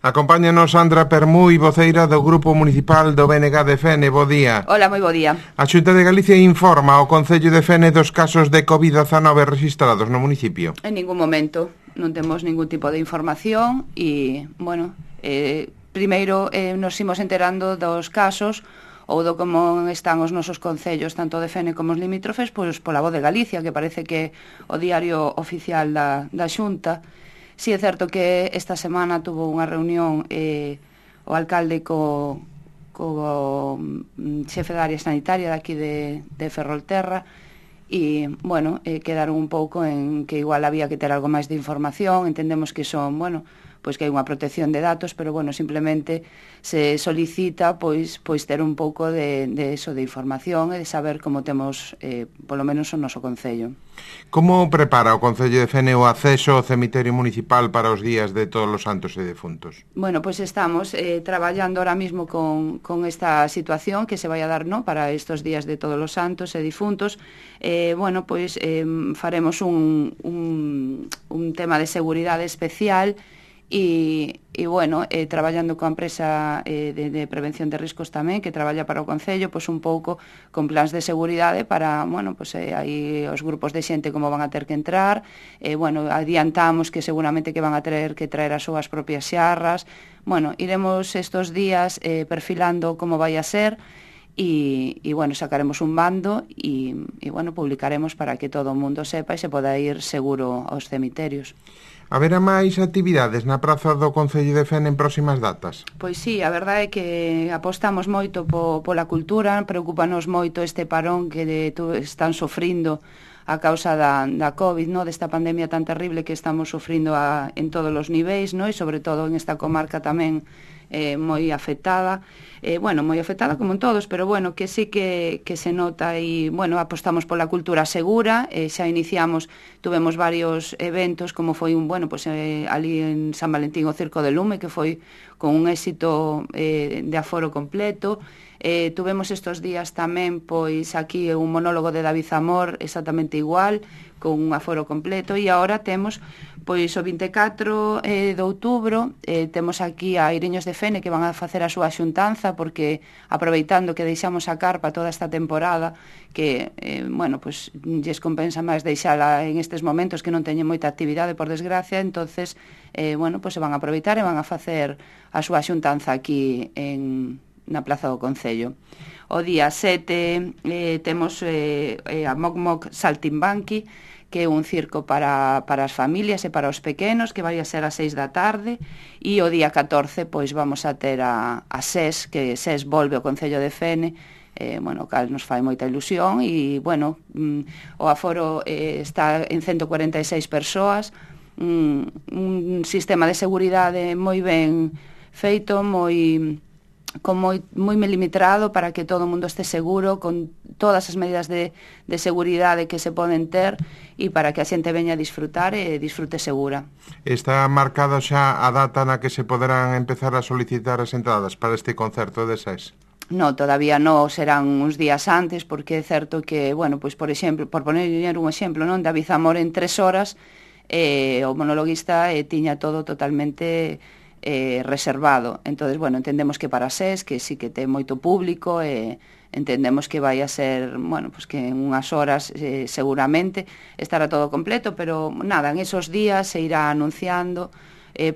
Acompáñanos Sandra Permúi, voceira do Grupo Municipal do BNG de Fene. Bo día. Hola, moi bo día. A Xunta de Galicia informa ao Concello de Fene dos casos de COVID-19 registrados no municipio. En ningún momento non temos ningún tipo de información e, bueno, primeiro nos imos enterando dos casos ou do como están os nosos concellos, tanto de Fene como os limítrofes, pois pola Voz de Galicia, que parece que o diario oficial da Xunta. Si é certo que esta semana tuvo unha reunión o alcalde co xefe da área sanitaria daqui de Ferrolterra e, bueno, quedaron un pouco en que igual había que ter algo máis de información. Entendemos que son, bueno, pois que hai unha protección de datos, pero, bueno, simplemente se solicita pois ter un pouco de eso, de información e de saber como temos, polo menos, o noso concello. Como prepara o Concello de Fene o acceso ao cemiterio municipal para os días de Todos os Santos e Defuntos? Bueno, pois estamos traballando ahora mismo con esta situación que se vai a dar, ¿no?, para estos días de Todos os Santos e Difuntos. Bueno, pois faremos un tema de seguridade especial e bueno, traballando coa empresa de prevención de riscos tamén, que traballa para o Concello, pois un pouco con plans de seguridade para, bueno, pois aí os grupos de xente como van a ter que entrar, bueno, adiantamos que seguramente que van a ter que traer as súas propias xarras. Bueno, iremos estos días perfilando como vai a ser e bueno, sacaremos un bando e bueno, publicaremos para que todo o mundo sepa e se poda ir seguro aos cemiterios. Haberá máis actividades na praza do Concello de Fene en próximas datas? Pois sí, a verdade é que apostamos moito pola cultura, preocupanos moito este parón que están sofrindo a causa da COVID, no, desta pandemia tan terrible que estamos sofrindo en todos os niveis, no, e sobre todo en esta comarca tamén moi afectada, bueno, moi afectada como en todos, pero bueno, que sí que se nota e, bueno, apostamos pola cultura segura, xa iniciamos, tuvemos varios eventos, como foi bueno, pues, ali en San Valentín o Circo de Lume, que foi con un éxito de aforo completo. Tuvemos estos días tamén, pois, aquí un monólogo de David Zamor, exactamente igual, con un aforo completo, e agora temos, pois, o 24 de outubro, temos aquí a Iriños de Fene que van a facer a súa xuntanza, porque aproveitando que deixamos a carpa toda esta temporada, que, bueno, pois, lles compensa máis deixala en estes momentos que non teñen moita actividade, por desgracia, entonces, bueno, pois se van a aproveitar e van a facer a súa xuntanza aquí na Plaza do Concello. O día 7 temos a Moc Moc Saltimbanqui, que é un circo para as familias e para os pequenos, que vai a ser ás 6 da tarde, e o día 14 pois vamos a ter a SES, que SES volve ao Concello de Fene, bueno, o cal nos fai moita ilusión, e, bueno, o aforo está en 146 persoas, un sistema de seguridade moi ben feito, moi milimetrado para que todo o mundo este seguro, con todas as medidas de seguridade que se poden ter e para que a xente veña a disfrutar e disfrute segura. Está marcada xa a data na que se poderán empezar a solicitar as entradas para este concerto de SES? No, todavía non, serán uns días antes, porque é certo que, bueno, pois, por exemplo, por poner un exemplo, non, David Zamor en 3 horas, o monologuista tiña todo totalmente reservado. Entonces, bueno, entendemos que para SES, que sí que ten moito público, entendemos que vai a ser, bueno, pues que en unhas horas seguramente estará todo completo, pero nada, en esos días se irá anunciando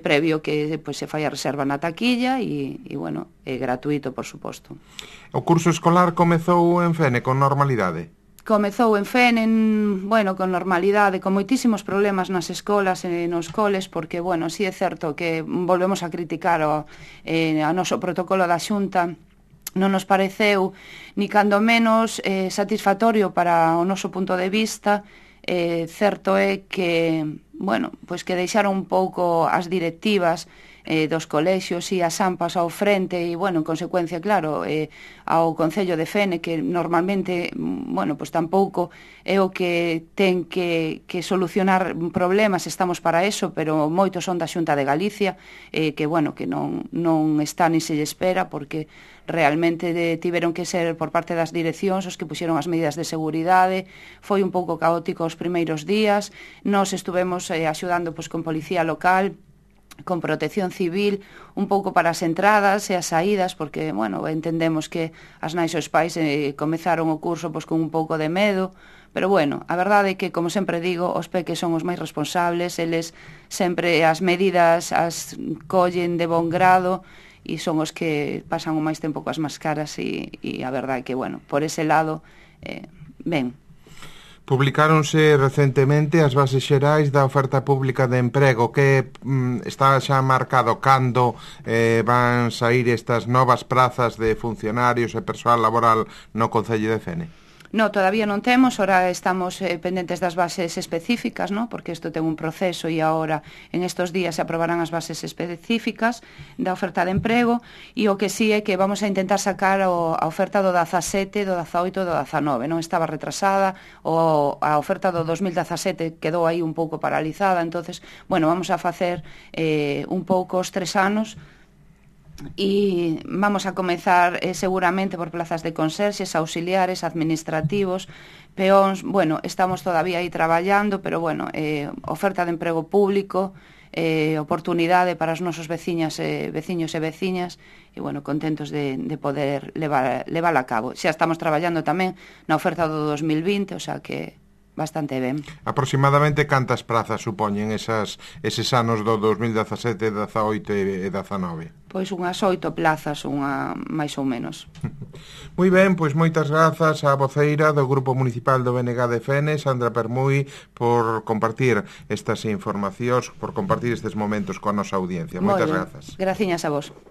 previo que pues, se fai a reserva na taquilla e bueno, é gratuito, por suposto. O curso escolar comezou en Fene con normalidade? Comezou en Fene, bueno, con normalidade, con moitísimos problemas nas escolas e nos coles, porque, bueno, si é certo que volvemos a criticar o noso protocolo da Xunta, non nos pareceu ni cando menos satisfactorio para o noso punto de vista. Certo é que, bueno, pois que deixaron un pouco as directivas dos colexios e as AMPAs ao frente e, bueno, en consecuencia, claro, ao Concello de Fene, que normalmente, bueno, pois tampouco é o que ten que solucionar problemas, estamos para eso, pero moitos son da Xunta de Galicia, que, bueno, que non está ni se lle espera, porque realmente tiveron que ser por parte das direccións os que puxeron as medidas de seguridade. Foi un pouco caótico os primeiros días, nós estuvemos axudando pois con policía local, con protección civil, un pouco para as entradas e as saídas, porque, bueno, entendemos que as nais e os pais comezaron o curso pois, con un pouco de medo, pero, bueno, a verdade é que, como sempre digo, os peques son os máis responsables, eles sempre as medidas as collen de bon grado e son os que pasan o máis tempo coas máscaras e a verdade é que, bueno, por ese lado, ben. Publicáronse recentemente as bases xerais da oferta pública de emprego que está xa marcado cando van sair estas novas prazas de funcionarios e persoal laboral no Concello de Fene. No, todavía non temos, ora estamos pendentes das bases específicas, ¿no? Porque isto ten un proceso e agora en estos días se aprobarán as bases específicas da oferta de emprego e o que sí é que vamos a intentar sacar a oferta do 17, do 18 e do 19, non estaba retrasada, a oferta do 2017 quedou aí un pouco paralizada, entonces, bueno, vamos a facer un pouco os 3 anos e vamos a comezar seguramente por plazas de conserxes, auxiliares, administrativos, peóns, bueno, estamos todavía aí traballando, pero bueno, oferta de emprego público, oportunidade para os nosos veciños e veciñas, e bueno, contentos de poder levar a cabo. Xa estamos traballando tamén na oferta do 2020, o sea que bastante ben. Aproximadamente cantas prazas supoñen eses anos do 2017, 18 e 19? Pois unhas 8 plazas, unha máis ou menos. Moi ben, pois moitas grazas á voceira do Grupo Municipal do BNG de Fene, Sandra Permui, por compartir estas informacións, por compartir estes momentos coa nosa audiencia. Moitas grazas. Graciñas a vos.